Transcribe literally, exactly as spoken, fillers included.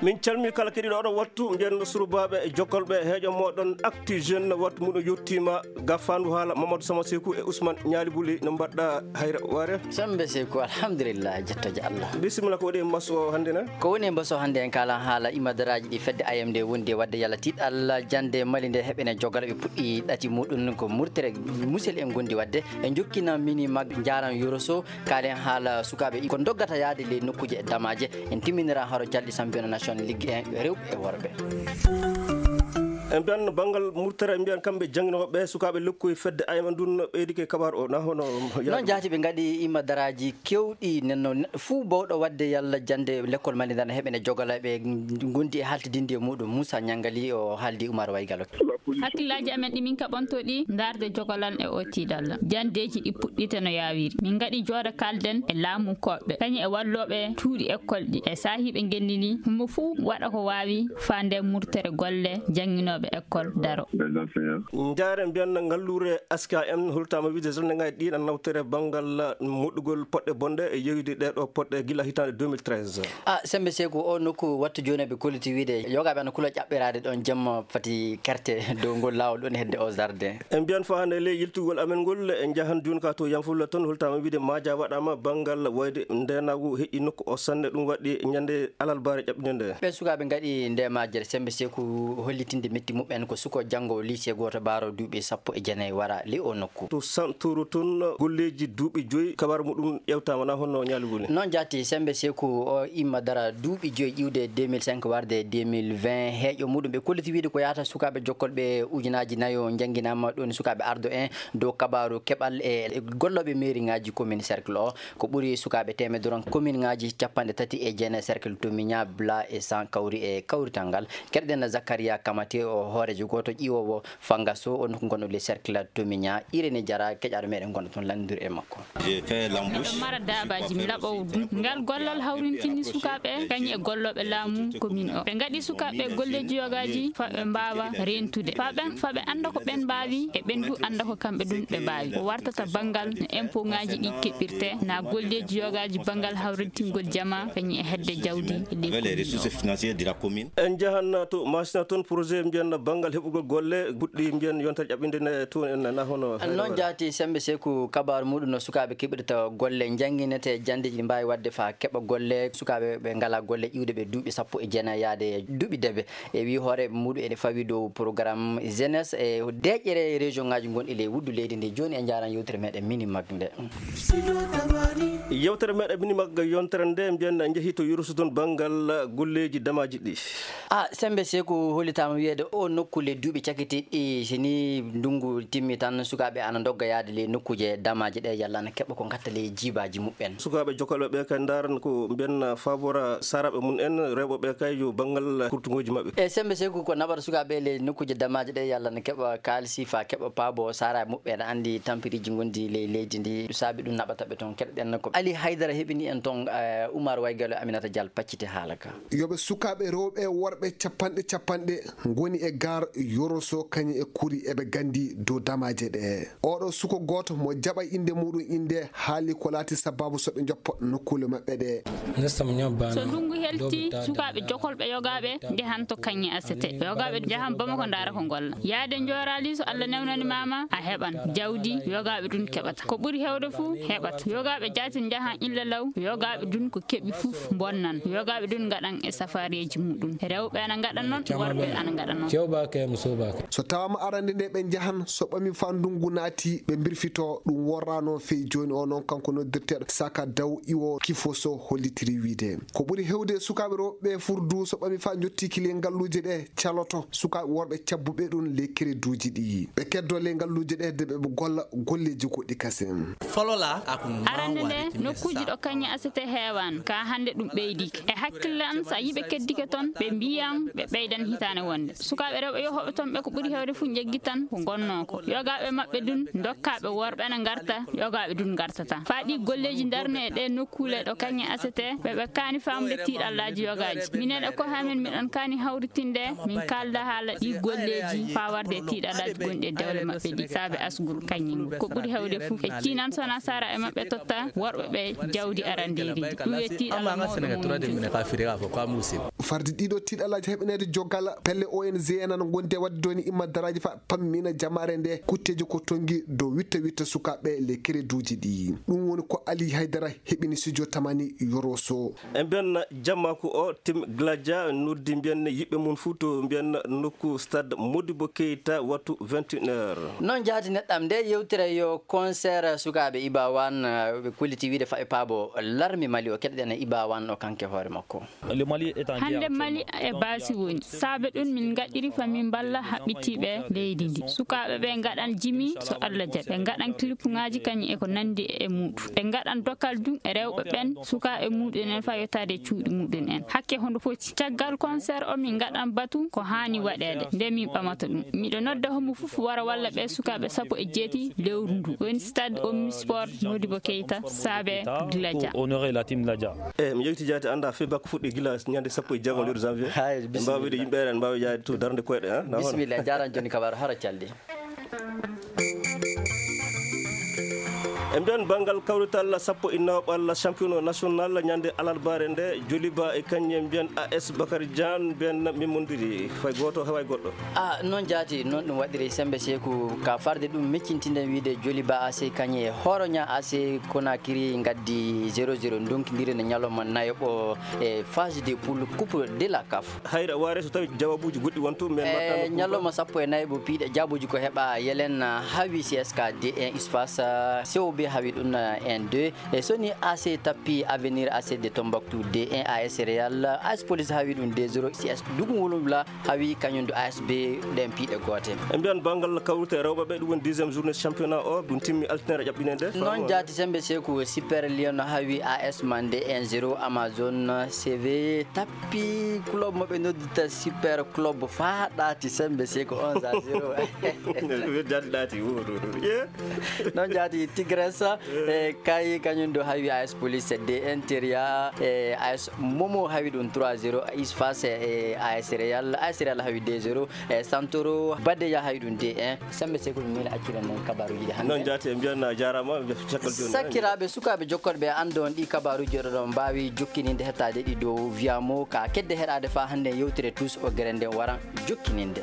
Min calmii kala keɗiiɗo oɗo wattu, mbiyen no surubaaɓe e jokkolɓe heeƴo mooɗon Actu Jeune, wattu muɗum yottiima. Ga faandu haala Mamadou Sama Seku e Ousmane Ñaali Buli, no mbaɗɗa hayre waare? Sembe Seku, alhamdulillah, jettoje Allah. Bisimilla, ko woni e mbaso hannde ne? Ko woni e mbaso hannde en kalan haala imadaraaji ɗi fedde A M D wondi e waɗde yalla tiiɗal jannde Mali nde heɓene jogala ɓe puɗɗi ɗati muɗum ko murtere musel en gondi waɗde. En jokkina mini mag njaran yoroso. Kaalen haala sukaaɓe ko doggata yaade ley nokkuuje e damaaje. En timminira haro calɗi championnat national Ligue un rewɓe e worɓe. En mbiyan banngal murtere, en mbiyan kamɓe jannginooɓe sukaaɓe lokkuy fedde A M ndun ɓeydike kabaar o, na hono? Noon jaati ɓe ngaɗi imadaraaji kewɗi nenno neɗɗo fuu bawɗo waɗde yalla jannde lekkol Mali ndan heɓene jogala ɓe ngondi e haltidinde e muɗum. Moussa Ñangali o haaldi Oumar Waygalo. Hakkillaaji amen ɗi min kaɓanto ɗi ndaarde jogolan e o tiiɗalla. Janndeeji ɗi puɗɗiite no yaawiri. Min ngaɗi jooɗo kaalden e laamunkooɓe, kañum e wallooɓe cuuɗi ekkol ɗi, e saahiiɓe ngenndi ndi. Homo fuu waɗa ko waawi faande murtere golle jannginooɓe ekkol daro. Njaare mbiyan ngalluure S K M holtaama wiide journée ngaji ɗi na nawtere banngal moɗɗugol poɗɗe bonɗe e yeeyude ɗee ɗoo poɗɗe gila hitaande deux mille treize. A, Sembe Seku, o nokku wattu jooni ɓe kolliti wiide yogaaɓe ana kula ƴaɓɓiraade ɗoon jamma fati kerte dow ngol laawol ɗoon hedde o jardin. En mbiyan faa hannde ley yiltugol amen ngol, en njahan jooni ka to Yanfulla toon, holtaama wiide maaja waɗaama banngal wayde ndeenaagu heƴi nokku o sanne, ɗum waɗi ñande alarbaare ƴaɓɓinde nde. Ɓe sukaaɓe ngaɗi nde majjere Sembe Seku hollitinde metti muɓɓen ko suko janngo lycée gooto baaro duuɓi sappo e jeenayi wara ley o nokku. To Santuru toon golleeji duuɓi joyi kabaru muɗum ƴewtaama na honno Ñaali Buli? Noon jaati Sembe Seku o imma dara duuɓi joyi ƴiwde deux mille cinq warde deux mille vingt heeƴo muɗum ɓe kolliti wiide ko yahata sukaaɓe jokkolɓe ujunaaji nayo njannginaama ɗoon sukaaɓe ardo en dow kabaru keɓal e gollooɓe mairie ngaji commune cercle o. Ko ɓuri sukaaɓe teemedere on commune ngaji capanɗe tati e jeenayi cercle Tomiña, Bla e San kawri e kawrital ngal. Keɗɗen Zakaria Kamate o hoorejo gooto ƴiwoowo Fangaso o nokku gonɗo le cercle Tomiña. Irene Jara keƴaaɗo meɗen gonɗo toon lanndiri e makko. Miɗo mara daabaaji mi laɓowo dum. Ngal gollal hawrintini sukaaɓe kañum e gollooɓe laamu commune o. Ɓe ngaɗi sukaaɓe golleeji yogaaji fa ɓe mbaawa reentude. Fa ɓen fa ɓe annda ko ɓen mbaawi e ɓen du annda ko kamɓe dun ɓe mbaawi. Ko wartata banngal no impôt ngaji ɗi keɓirte na golleeji yogaaji banngal hawrintingol jama kañum e hedde jawdi e ley commune o. En njahan to Masina toon, projet mbiyan banngal heɓugol golle, puɗɗi mbiyan yontere ƴaɓɓinde nde toon en nana hono hayre. Noon jaati Sembe Seku kabaru muɗum no sukaaɓe keɓirta golle, njannginete janndeeji ɗi mbaawi waɗde faa keɓa golle, sukaaɓe ɓe ngalaa golle ƴiwde ɓe duuɓi sappo e jeenayi yaade duuɓi debe. E wii hooreeɓe muɗum ene fawi dow programme jeunesse e deeƴere région ngaji gonɗi ley wuddu leydi ndi. Jooni en njaaran yewtere meɗen mini mag nde. Yewtere meɗen mini mag yontere nde mbiyan en njehi to Yoroso toon banngal golleeji damaaji ɗi. A, Sembe Seku hollitaama wiyeede o nokku le duuɓi cakitiiɗi, si ni ndunngu timmi tan, sukaaɓe ana ndogga yaade ley nokkuuje damaaje ɗe, yalla ana keɓa ko ngatta ley jiibaaji muɓɓen. Sukaaɓe jokkalɓe ɓe kay ndaaran ko mbiyan faabora saaraaɓe mum en, rewɓe ɓe kay yo banngal kurtuŋooji maɓɓe. E Sembe Seku ko naɓata sukaaɓe ley nokkuuje damaaje ɗe, yalla ana keɓa kaalisi faa keɓa paabo saaraaɓe muɓɓen, aɗa anndi tampiriiji ngonɗi ley leydi ndi, saabi ɗum naɓata ɓe toon. Keɗoɗen ko Ali Haydara heɓini en toon, eh, Oumar Waygalo e Aminata Dial pacciti haala ka. Yo ɓe sukaaɓe rewɓe e worɓe capanɗe capanɗe ngoni e gaar Yoroso kañum e kuri eɓe nganndi dow damaaje ɗe. Oɗo suko gooto mo jaɓa innde muɗum innde haali ko laati sabaabu so ɓe njoppa nokkuule maɓɓe ɗe. So ndunngu helti, sukaaɓe jokolɓe yogaaɓe njahan to kañum asete. Yogaaɓe njahan Bamako ndaara ko ngolla. Yaade njooraali so Allah newnani maama a heɓan jawdi yogaaɓe ɗum keɓata. Ko ɓuri heewde fuu heɓat. Yogaaɓe jaati njahan illa law, yogaaɓe ɗum ko keɓi fuf bonnan. Yogaaɓe ɗum ngaɗan e safaareeji muɗum. Rewɓe ana ngaɗa noon, worɓe ana ngaɗa noon. So tawaama arande nde ɓe njahan, so ɓami faa ndunngu naati, ɓe mbirfito. Ɗum worraano fey jooni o noon, kanko noddirteeɗo Saka Daw Iwo Kifoso hollitiri wiide ko ɓuri heewde sukaaɓe rewɓe furdu so ɓami faa njottii ki ley ngalluuje ɗe caloto sukaaɓe worɓe cabbuɓe ɗum ley kereduuji ɗi. Ɓe keddoo ley ngalluuje ɗe de ɓe golla golleeji goɗɗi kasen. Arande nde, nokkuuji ɗo kañum asete heewaani, kaa hannde ɗum ɓeydike. E hakkille an, so a yiɓe keddike toon, ɓe mbiyan ɓe ɓeydan hitaande wonde. Sukaaɓe rewɓe yohooɓe toon ɓe ko ɓuri heewde fuu njeggitan ko ngonnoo ko. Yogaaɓe maɓɓe ɗum ndokkaaɓe worɓe na ngarta, yogaaɓe ɗum ngartata. Faa ɗi golleeji ndarne e ɗee nokkuule ɗo kañum asete, ɓe ɓe kaani faamude tiiɗallaaji yogaaji. Minen e koye amen, miɗen kaani hawritinde, min kaalda haala ɗi golleeji faa warde e tiiɗallaaji gonɗi e dewle maɓɓe ɗi, saabe asgol kañum. Ko ɓuri heewde fuu, ɓe ciinan so nasara e maɓɓe totta worɓe ɓe jawdi arandeeri ndi. Ɗum e tiiɗalla mawɗo mum. Farde ɗiɗo tiiɗalaaji heɓaneede jogal pelle O N G N ana ngondi e waɗde dooni imma daraaji fa pammina jamaare nde kutteeji ko tongi dow witta witta sukaaɓe le kereduuji ɗi. Ɗum woni ko Ali Haydara heɓini studio Tamani Yoroso. E mbiyan jammaku o, Tim Gladia noddi mbiyan yiɓɓe mum fuu to mbiyan nokku stade Modibo Keita wattu vingt et une heures. Noon jaati neɗɗam nde yewtere yo concert sukaaɓe Ibawan, eh, ɓe kolliti wiide faɓe paabo larmi Mali o keɗɗen e Ibawan o kanke hoore makko. Hannde Mali e baasi woni. Saabe ɗum min ngaɗiri fa min mballa haɓɓitiiɓe leydi ndi. Sukaaɓe ɓe ngaɗan jimi so Allah jaɓi. Ɓe ngaɗan kilipuŋaaji kañum e ko nanndi e muɗum. Ɓe ngaɗan dokal ɗum e rewɓe ɓen, sukaaɓe muɗum en fa yottaade e cuuɗi muɗum en. Hakke hondo foti. Caggal concert o min ngaɗan batu ko haani waɗeede. Nde min ɓamata ɗum. Miɗo nodda homo fof wara walla ɓe sukaaɓe sappo e jeetati lewru ndu. Woni stade Omnisport Modibo Keita, saabe Gladia. Honorer la team Gladia. E mi yewti jaati annda fii bakko fuɗɗi gila ñande sappo e jeego lewru janvier. Hay, en mbaawi wiide yimɓe en mbaawi yaade to darnde koyɗe, ha? Na hono? Bisimilla, en jaaraama jooni kabaru hara calde. E mbiyan banngal kawrital sappo e nawɓal championnat national ñande alarbaare nde, Joliba e kañum mbiyan A S Bakary Diagne mbiyan mimmondiri fay gooto heɓaay goɗɗo. Ah, noon jaati, noon ɗum waɗiri sembe seeku ka farde ɗum meccintinden wiide Joliba A C kañum e Horoña A C Conakry ngaddi zéro zéro ndonkidiri no ñalawma nayoɓo e phase de poule coupe de la CAF. Hayra waare so tawi jawaabuuji goɗɗi won to, men mbaɗta no ñalawma sappo e nayi bo piiɗe jaabuuji ko heɓa yelen, ah, hawi C S K D un espace, ah, C O B hawi ɗum, ah, un deux. E soni A C tappi Avenir A C de Tombouctou deux un, A S Real, A S Police hawi ɗum deux zéro, C S Dugu Wulumla hawi kañum du A S B ɗen piiɗe goote. E mbiyan banngal kawrite rewɓe ɓe, ɗum woni dixième journée championnat o, ɗum timmi altine ƴaɓɓine nde. Noon jaati sembe seeku Super Lion hawi A S Mandé un zéro, Amazon C V tappi club mo ɓe noddita Super Club faa ɗaati sembe seeku onze à zéro. Jaati ɗaati, wo, wo, wo, ye. Noon jaati Tigres, e kay kañum du hawi A S Police deux un, Teria, e A S Momo hawi ɗum trois zéro, Isfas e A S Real, A S Real hawi deux zéro, e Santoro Badeya hawi ɗum deux un. Sembe seeku mi miila accira nen kabaruuji ɗi hannde. Noon jaati, en mbiyan a jaaraama, en mbiyan caggal jooni. Sakkiraaɓe, sukaaɓe jokkooɓe, annde on ɗi kabaruuji oɗon mbaawi jokkininde hettaade ɗi dow Viamo ka kedde heɗaade faa hannde yewtere Tous o gere nden waran jokkininde.